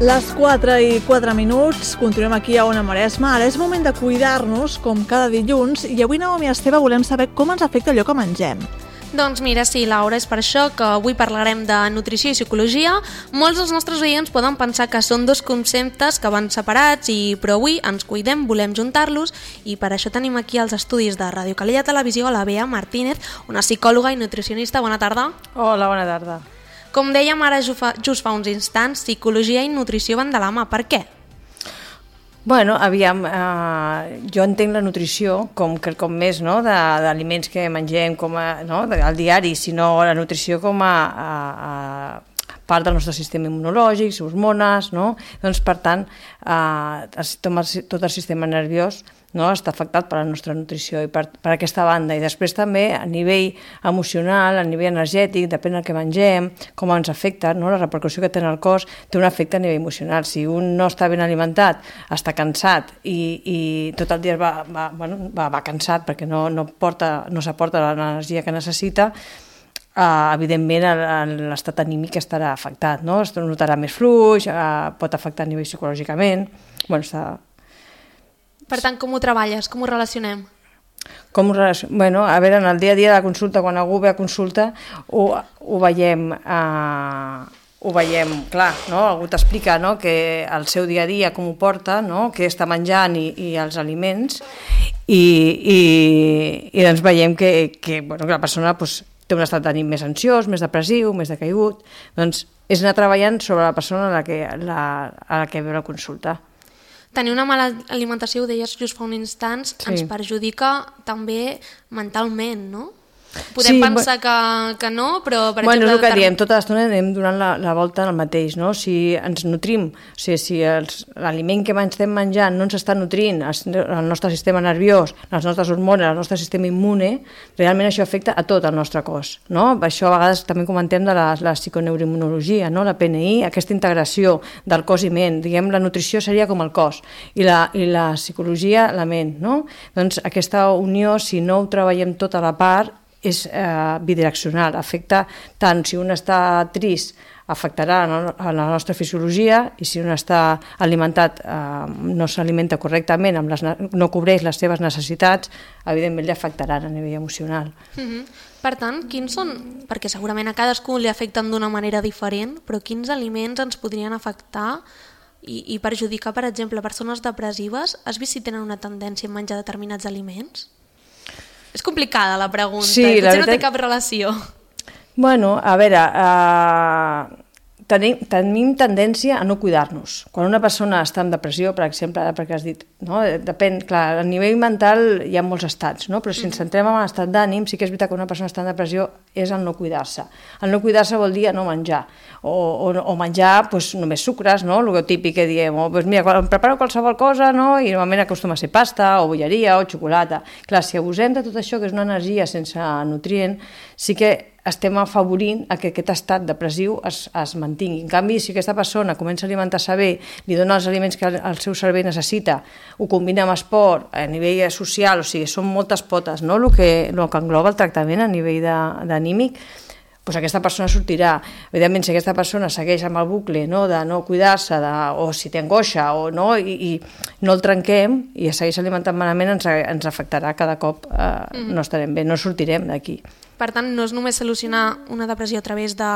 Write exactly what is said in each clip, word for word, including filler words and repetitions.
Les quatre i quatre minuts, continuem aquí a Ona Maresma. Ara és moment de cuidar-nos, com cada dilluns, i avui, Naomi i Esteve, volem saber com ens afecta allò que mengem. Doncs mira, sí, Laura, és per això que avui parlarem de nutrició i psicologia. Molts dels nostres oients poden pensar que són dos conceptes que van separats, i però avui ens cuidem, volem juntar-los, i per això tenim aquí als estudis de Ràdio Calella Televisió a la Bea Martínez, una psicòloga i nutricionista. Bona tarda. Hola, bona tarda. Com dèiem ara just fa uns instants, psicologia i nutrició van de la mà. Per què? Bueno, aviam, eh, jo entenc la nutrició com quelcom més, no?, d'aliments que mengem com a, no?, al diari, sinó la nutrició com a, a, a part del nostre sistema immunològic, hormones, no? Doncs, per tant, eh, tot el sistema nerviós, no?, està afectat per la nostra nutrició i per, per aquesta banda. I després també a nivell emocional, a nivell energètic, depèn del que mengem, com ens afecta, no?, la repercussió que té en el cos, té un efecte a nivell emocional. Si un no està ben alimentat, està cansat i, i tot el dia va, va, bueno, va, va cansat perquè no, no, porta, no s'aporta l'energia que necessita, Uh, evidentment l'estat anímic estarà afectat, no? Es notarà més fluix, uh, pot afectar a nivell psicològicament. Bueno, està... Per tant, com ho treballes? Com ho relacionem? Com ho relacionem? Bueno, a veure, en el dia a dia de la consulta, quan algú ve a consulta, ho, ho veiem... Uh... ho veiem, clar, no? Algú t'explica, no?, que el seu dia a dia com ho porta, no?, què està menjant i, i els aliments, i, i, i doncs veiem que, que, bueno, que la persona pues, té un estat d'ànim més ansiós, més depressiu, més decaigut. Doncs és anar treballant sobre la persona a la que, la, a la que ve la consulta. Tenir una mala alimentació, ho deies just fa un instant, sí, ens perjudica també mentalment, no? Podem sí, pensar que, que no, però... Per bueno, exemple, és el que diem, tota l'estona anem donant la, la volta al mateix, no? Si ens nutrim, o sigui, si l'aliment que estem menjant no ens està nutrint el nostre sistema nerviós, les nostres hormones, el nostre sistema immune, realment això afecta a tot el nostre cos, no? Això a vegades també comentem de la, la psiconeuroimmunologia, no? La P N I, aquesta integració del cos i ment, diguem, la nutrició seria com el cos, i la, i la psicologia la ment, no? Doncs aquesta unió, si no ho treballem tota la part, és eh, bidireccional, afecta tant si un està trist, afectarà a la nostra fisiologia, i si un està alimentat, eh, no s'alimenta correctament, amb les, no cobreix les seves necessitats, evidentment li afectaran a nivell emocional. Mm-hmm. Per tant, quins són, perquè segurament a cadascú li afecten d'una manera diferent, però quins aliments ens podrien afectar i, i perjudicar, per exemple, persones depressives? Has vist si tenen una tendència a menjar determinats aliments? És complicada la pregunta, sí, potser la veritat... no té cap relació. Bueno, a veure, uh, tenim, tenim tendència a no cuidar-nos. Quan una persona està en depressió, per exemple, perquè has dit, no? Depèn, clar, a nivell mental hi ha molts estats, no? Però si ens centrem en l'estat d'ànim, sí que és veritat que una persona està en depressió és el no cuidar-se. El no cuidar-se vol dir no menjar, o, o, o menjar pues, només sucres, no? El típic que diem, oh, pues mira, em preparo qualsevol cosa, no? I normalment acostuma a ser pasta, o bolleria, o xocolata. Clar, si abusem de tot això, que és una energia sense nutrient, sí que estem afavorint a que aquest estat depressiu es, es mantingui. En canvi, si aquesta persona comença a alimentar-se bé, li dona els aliments que el seu cervell necessita, ho combina amb esport, a nivell social, o sigui, són moltes potes, no?, el que, el que engloba el tractament a nivell d'anímic, doncs aquesta persona sortirà. Evidentment, si aquesta persona segueix amb el bucle, no?, de no cuidar-se, o si té angoixa, o no, i, i no el trenquem, i segueix alimentant malament, ens, ens afectarà cada cop, eh, mm-hmm. no estarem bé, no sortirem d'aquí. Per tant, no és només solucionar una depressió a través de,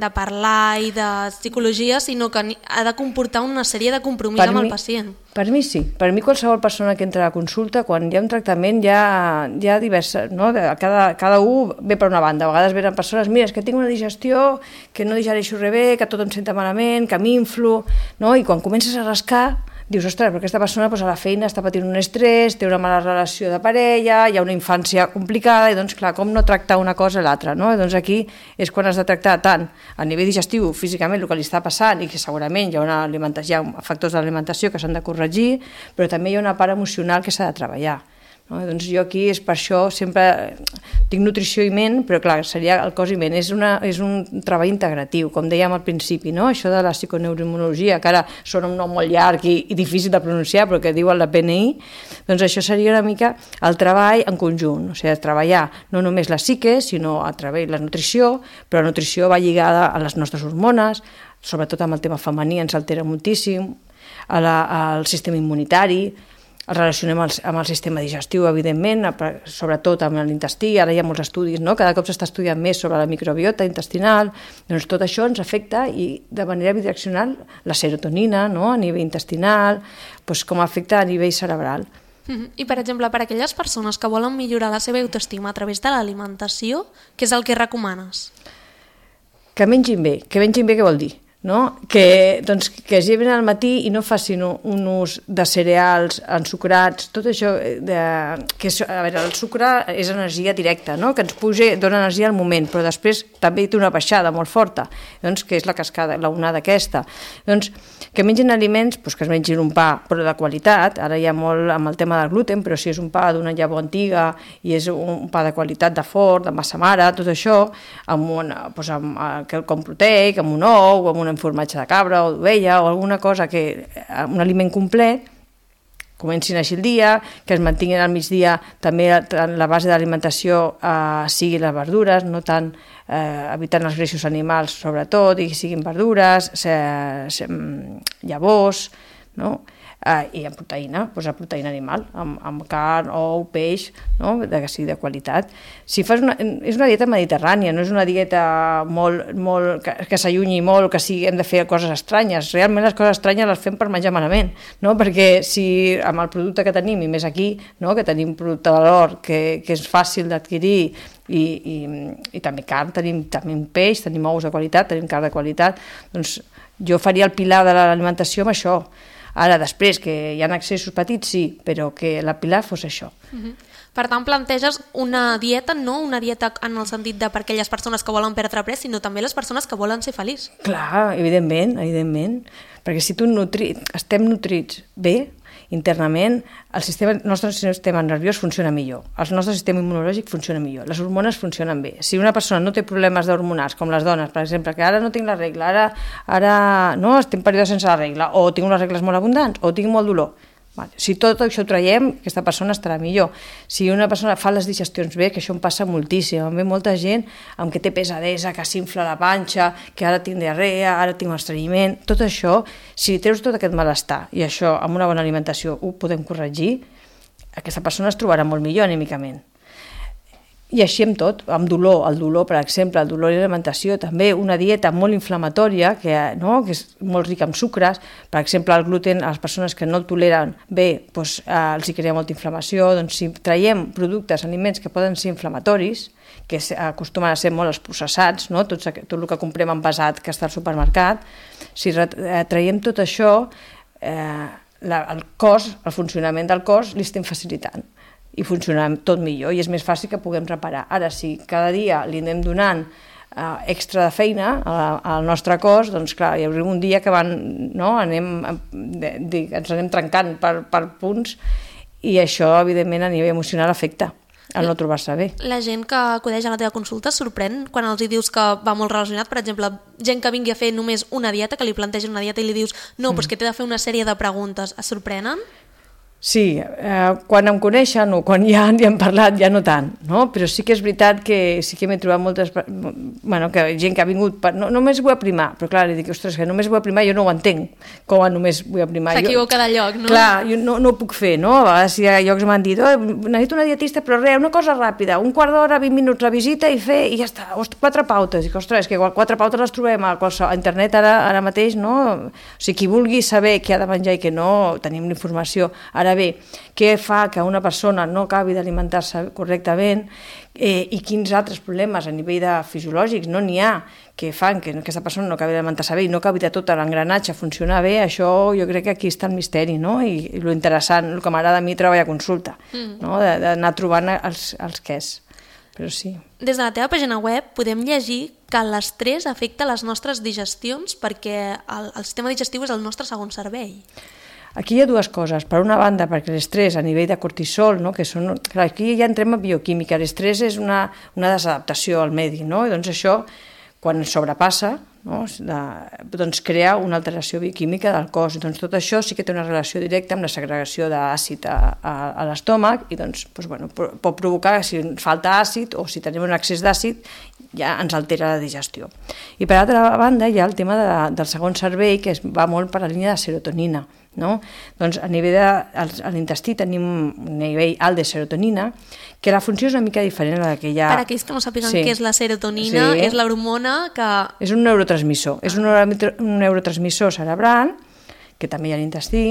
de parlar i de psicologia, sinó que ha de comportar una sèrie de compromís per amb mi, el pacient. Per mi sí. Per mi qualsevol persona que entra a la consulta, quan hi ha un tractament, hi ha, hi ha diverses, no? Cada, cada un ve per una banda. A vegades venen persones, mira, és que tinc una digestió, que no digereixo res bé, que tot em senta malament, que m'inflo, no? I quan comences a rascar, dius, ostres, però aquesta persona doncs, a la feina està patint un estrès, té una mala relació de parella, hi ha una infància complicada, i doncs, clar, com no tractar una cosa a l'altra, no? I doncs aquí és quan has de tractar tant a nivell digestiu, físicament, el que li està passant, i que segurament hi ha, una hi ha factors d'alimentació que s'han de corregir, però també hi ha una part emocional que s'ha de treballar. No? Doncs jo aquí és per això sempre tinc nutrició i ment, però clar, seria el cos i ment, és, una, és un treball integratiu, com dèiem al principi, no? Això de la psiconeuroimmunologia, que ara sona un nom molt llarg i, i difícil de pronunciar, però que diuen la P N I, doncs això seria una mica el treball en conjunt, o sigui, treballar no només la psique, sinó a través de la nutrició, però la nutrició va lligada a les nostres hormones, sobretot amb el tema femení ens altera moltíssim, el sistema immunitari, el relacionem amb el sistema digestiu, evidentment, sobretot amb l'intestí, ara hi ha molts estudis, no? Cada cop s'està estudiant més sobre la microbiota intestinal, doncs tot això ens afecta i de manera bidireccional la serotonina, no? A nivell intestinal, doncs com afecta a nivell cerebral. I, per exemple, per a aquelles persones que volen millorar la seva autoestima a través de l'alimentació, què és el que recomanes? Que mengin bé. Que mengin bé què vol dir? No? Que, doncs, que es lleven al matí i no facin un ús de cereals ensucrats, tot això de, que és, a veure, el sucre és energia directa, no? Que ens puja, dona energia al moment, però després també té una baixada molt forta, doncs, que és la cascada, la onada aquesta. Doncs que mengin aliments, doncs, que es mengin un pa però de qualitat, ara hi ha molt amb el tema del gluten, però si és un pa d'una llavor antiga i és un pa de qualitat de fort, de massa mare, tot això, amb un, doncs, amb, quelcom proteic, amb un ou, amb un formatge de cabra o d'ovella o alguna cosa, que un aliment complet, comencin així el dia, que es mantinguin al migdia també la base d'alimentació eh, sigui les verdures, no tant eh, evitant els greixos animals sobretot, i siguin verdures, se, se, llavors, no? Uh, i amb proteïna, doncs la proteïna animal, amb, amb carn, ou, peix, no? de, sí, de qualitat. Si fas una, és una dieta mediterrània, no és una dieta molt, molt, que, que s'allunyi molt, que sí, hem de fer coses estranyes. Realment les coses estranyes les fem per menjar malament, no? Perquè si amb el producte que tenim, i més aquí, no? Que tenim producte de valor, que, que és fàcil d'adquirir, i, i, i també carn, tenim, tenim peix, tenim ous de qualitat, tenim carn de qualitat, doncs jo faria el pilar de l'alimentació amb això. Ara, després, que hi ha accessos petits, sí, però que la pilar fos això. Uh-huh. Per tant, planteges una dieta, no una dieta en el sentit de per aquelles persones que volen perdre pes, sinó també les persones que volen ser feliços. Clar, evidentment, evidentment. Perquè si tu nutri... estem nutrits bé, internament, el, sistema, el nostre sistema nerviós funciona millor, el nostre sistema immunològic funciona millor, les hormones funcionen bé. Si una persona no té problemes d'hormonals, com les dones, per exemple, que ara no tinc la regla, ara, ara no, estic en període sense la regla, o tinc unes regles molt abundants, o tinc molt dolor. Vale. Si tot això ho traiem, aquesta persona estarà millor. Si una persona fa les digestions bé, que això em passa moltíssim, em ve molta gent amb que té pesadesa, que s'infla la panxa, que ara tinc diarrea, ara tinc estrenyiment, tot això, si treus tot aquest malestar i això amb una bona alimentació ho podem corregir, aquesta persona es trobarà molt millor anímicament. I així amb tot, amb dolor, el dolor, per exemple, el dolor i l'alimentació, també una dieta molt inflamatòria, que, no? que és molt rica en sucres, per exemple, el gluten, a les persones que no el toleren bé, doncs, eh, els hi crea molta inflamació, doncs si traiem productes, aliments que poden ser inflamatoris, que acostumen a ser molt els processats, no? tot, tot el que comprem envasat que està al supermercat, si traiem tot això, eh, la, el cos, el funcionament del cos, li estem facilitant i funciona tot millor i és més fàcil que puguem reparar. Ara, si cada dia li anem donant uh, extra de feina al nostre cos, doncs clar, hi haurà un dia que van, no, anem, de, de, ens anem trencant per, per punts i això, evidentment, a nivell emocional afecta al no trobar-se bé. La gent que acudeix a la teva consulta es sorprèn quan els hi dius que va molt relacionat, per exemple, gent que vingui a fer només una dieta, que li plantegen una dieta i li dius no, mm. però és que t'he de fer una sèrie de preguntes, es sorprenen? Sí, eh, quan em coneixen o quan ja hi han parlat, ja no tant, no? Però sí que és veritat que sí que m'he trobat moltes... Bueno, que gent que ha vingut... Per, no, només vull aprimar, però clar, li dic, ostres, que només vull aprimar, jo no ho entenc, com a només vull aprimar. S'equivoca de lloc, no? Clar, jo no, no ho puc fer, no? A vegades hi ha llocs m'han dit, oh, necessito una dietista, però res, una cosa ràpida, un quart d'hora, vint minuts la visita i fer, i ja està, quatre pautes. I dic, ostres, que quatre pautes les trobem a, a internet ara, ara mateix, no? O sigui, qui vulgui saber què ha de menjar i què no, tenim la informació. Ara bé, què fa que una persona no acabi d'alimentar-se correctament eh, i quins altres problemes a nivell de fisiològics no n'hi ha que fan que aquesta persona no acabi d'alimentar-se bé i no acabi de tot l'engranatge a funcionar bé, això jo crec que aquí està el misteri, no? I, i lo interessant, el que m'agrada a mi treballar a consulta, mm. no? D'anar trobant els, els quès. Però sí. Des de la teva pàgina web podem llegir que l'estrès afecta les nostres digestions perquè el, el sistema digestiu és el nostre segon cervell. Aquí hi ha dues coses. Per una banda, perquè l'estrès a nivell de cortisol, no? Que són, clar, aquí ja entrem a bioquímica, l'estrès és una, una desadaptació al medi, no? I doncs això, quan sobrepassa, no? De, doncs crea una alteració bioquímica del cos. Doncs tot això sí que té una relació directa amb la segregació d'àcid a, a, a l'estómac i doncs, doncs, bueno, pot provocar, si falta àcid o si tenim un excés d'àcid, ja ens altera la digestió. I per altra banda hi ha el tema de, del segon cervell, que es va molt per la línia de serotonina. No? Doncs a nivell de a l'intestí tenim un nivell alt de serotonina, que la funció és una mica diferent a la que hi ha... Per aquells que no sàpiguen sí. què és la serotonina, sí. és l'hormona que... És un neurotransmissor, és un, un neurotransmissor cerebral, que també hi ha a l'intestí,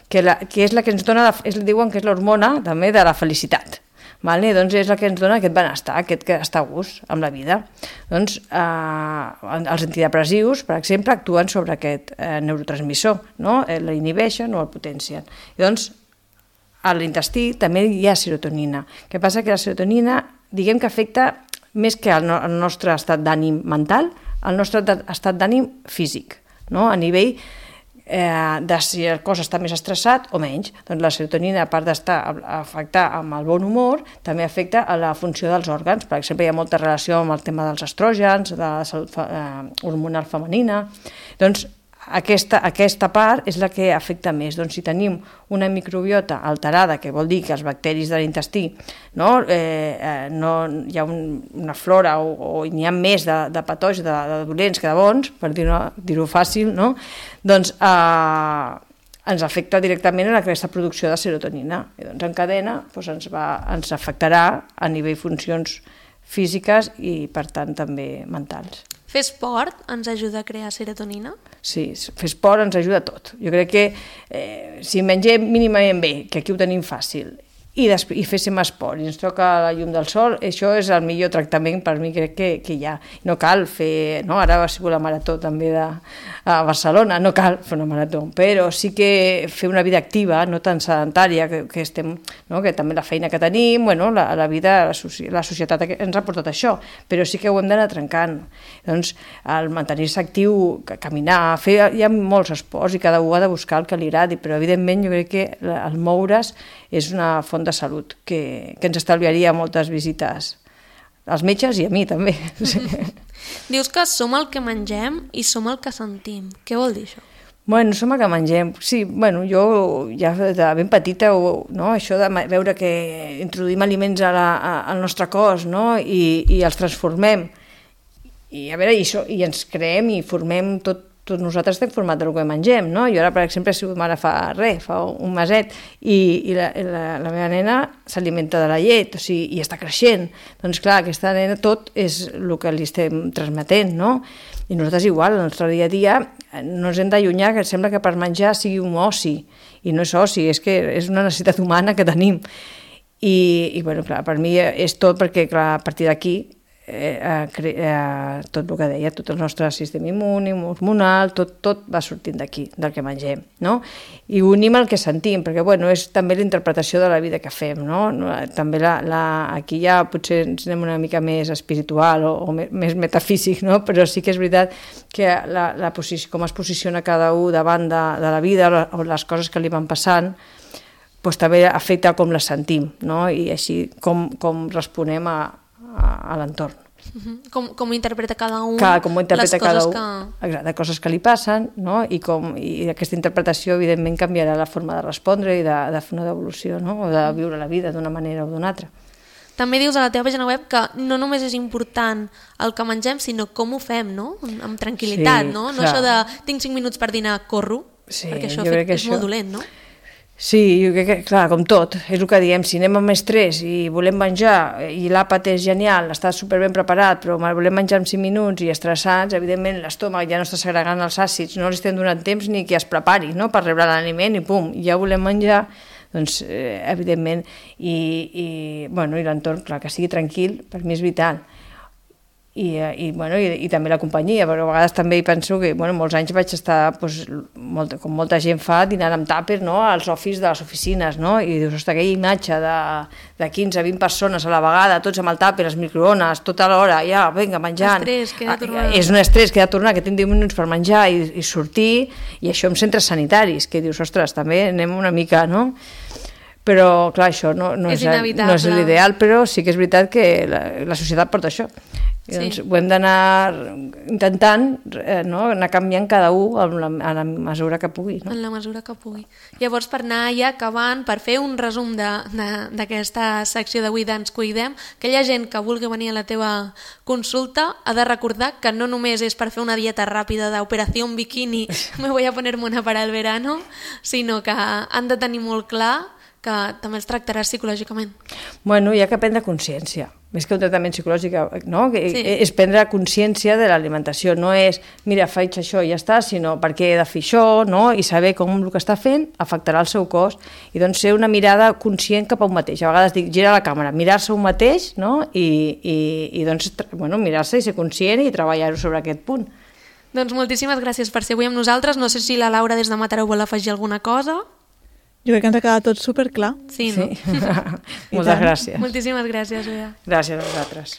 que, la, que és la que ens dona, la, és, diuen que és l'hormona també de la felicitat. Vale? Doncs és la que ens dona aquest benestar, aquest que està a gust amb la vida. Doncs eh, els antidepressius, per exemple, actuen sobre aquest eh, neurotransmissor, no? L'inhibeixen o el potencien. I doncs a l'intestí també hi ha serotonina. El que passa que la serotonina, diguem que afecta més que el, no, el nostre estat d'ànim mental, el nostre estat d'ànim físic, no? A nivell Eh, de si el cos està més estressat o menys. Doncs la serotonina, a part d'estar afectar amb el bon humor, també afecta a la funció dels òrgans. Per exemple, hi ha molta relació amb el tema dels estrògens, de la salut eh, hormonal femenina. Doncs aquesta, aquesta part és la que afecta més. Doncs si tenim una microbiota alterada, que vol dir que els bacteris de l'intestí no, eh, eh, no, hi ha un, una flora o, o n'hi ha més de, de patògens, de, de dolents que de bons, per dir-ho dir-ho fàcil, no? Doncs eh, ens afecta directament en aquesta producció de serotonina. I doncs en cadena doncs ens, va, ens afectarà a nivell funcions físiques i per tant també mentals. Fer esport ens ajuda a crear serotonina? Sí, fer esport ens ajuda a tot. Jo crec que eh, si mengem mínimament bé, que aquí ho tenim fàcil, i, i féssim esport i ens toca la llum del sol, això és el millor tractament per mi crec que, que hi ha. No cal fer, no? Ara ha sigut la marató també de, a Barcelona, no cal fer una marató, però sí que fer una vida activa, no tan sedentària, que, que, estem, no? Que també la feina que tenim, bueno, la, la vida, la, la societat ens ha portat això, però sí que ho hem d'anar trencant. Doncs el mantenir-se actiu, caminar, fer, hi ha molts esports i cada un ha de buscar el que li agradi, però evidentment jo crec que el moure's és una font de salut que, que ens estalviaria moltes visites als metges i a mi també. Sí. Dius que som el que mengem i som el que sentim. Què vol dir això? Bueno, som el que mengem. Sí, bueno, jo ja de ben petita, no, això de veure que introduïm aliments a la, a, al nostre cos, no, i, i els transformem. I a veure, i, això, i ens creem i formem tot. Tots nosaltres estem formats del que mengem, no? Jo ara, per exemple, he sigut mare fa res, fa un meset, i, i la, la, la meva nena s'alimenta de la llet, o sigui, i està creixent. Doncs clar, aquesta nena tot és el que li estem transmetent, no? I nosaltres igual, el nostre dia a dia no ens hem d'allunyar, que sembla que per menjar sigui un oci, i no és oci, és que és una necessitat humana que tenim. I, i bueno, clar, per mi és tot, perquè clar, a partir d'aquí Eh, eh, tot el que deia, tot el nostre sistema immune, hormonal, tot, tot va sortint d'aquí, del que mengem, no? I unim el que sentim, perquè bueno, és també la interpretació de la vida que fem, no? També la, la, aquí ja potser ens anem una mica més espiritual o, o més metafísic, no? Però sí que és veritat que la, la posició, com es posiciona cada un davant de, de la vida o les coses que li van passant, doncs també afecta com les sentim, no? I així com, com responem a a l'entorn. Uh-huh. Com, com ho interpreta cada un, Clar, com ho interpreta les coses cada un, que... Exacte, coses que li passen, no? I, com, i aquesta interpretació evidentment canviarà la forma de respondre i de, de fer una devolució, no? O de viure la vida d'una manera o d'una altra. També dius a la teva pàgina web que no només és important el que mengem, sinó com ho fem, no? Amb tranquil·litat, sí, no? No clar. Això de tinc cinc minuts per dinar, corro, sí, perquè això fet, és això... molt dolent, no? Sí, jo crec que, clar, com tot, és el que diem, si anem amb estrès i volem menjar i l'àpat és genial, està superben preparat, però volem menjar en cinc minuts i estressats, evidentment l'estómac ja no està segregant els àcids, no li estem donant temps ni que es prepari, no?, per rebre l'aliment i pum, ja volem menjar, doncs eh, evidentment, i, i, bueno, i l'entorn, clar, que sigui tranquil, per mi és vital. I, i, bueno, i, i també la companyia, però a vegades també hi penso que bueno, molts anys vaig estar, doncs, molt, com molta gent fa, dinant amb tàper, no?, als office de les oficines, no? I dius, ostres, aquella imatge de, de quinze a vint persones a la vegada, tots amb el tàper, els microones, tota l'hora, ja, vinga, menjant. Estrès, que he de tornar. És un estrès que he de tornar, que tinc deu minuts per menjar i, i sortir, i això amb centres sanitaris, que dius, ostres, també anem una mica, no?, però clar, això no, no és, és, no és l'ideal, però sí que és veritat que la, la societat porta això. I doncs sí. ho hem d'anar intentant eh, no? anar canviant cada un en la, en la mesura que pugui. No? En la mesura que pugui. Llavors, per anar ja acabant, per fer un resum d'aquesta secció d'avui d'Ens Cuidem, aquella gent que vulgui venir a la teva consulta ha de recordar que no només és per fer una dieta ràpida d'operació bikini, me voy a poner mona para el verano, sinó que han de tenir molt clar que també els tractaràs psicològicament. Bueno, hi ha que prendre consciència. Més que un tractament psicològic, no? Que sí. És prendre consciència de l'alimentació. No és, mira, faig això i ja està, sinó per què he de fer això, no? I saber com el que està fent afectarà el seu cos. I doncs ser una mirada conscient cap a un mateix. A vegades dic, gira la càmera, mirar-se un mateix, no? I, i, i doncs, bueno, mirar-se i ser conscient i treballar-ho sobre aquest punt. Doncs moltíssimes gràcies per ser avui amb nosaltres. No sé si la Laura des de Mataró vol afegir alguna cosa. Jo crec que ens ha quedat tot superclar. Sí, no? Sí. Moltes gràcies. Moltíssimes gràcies, Bea. Gràcies a vosaltres.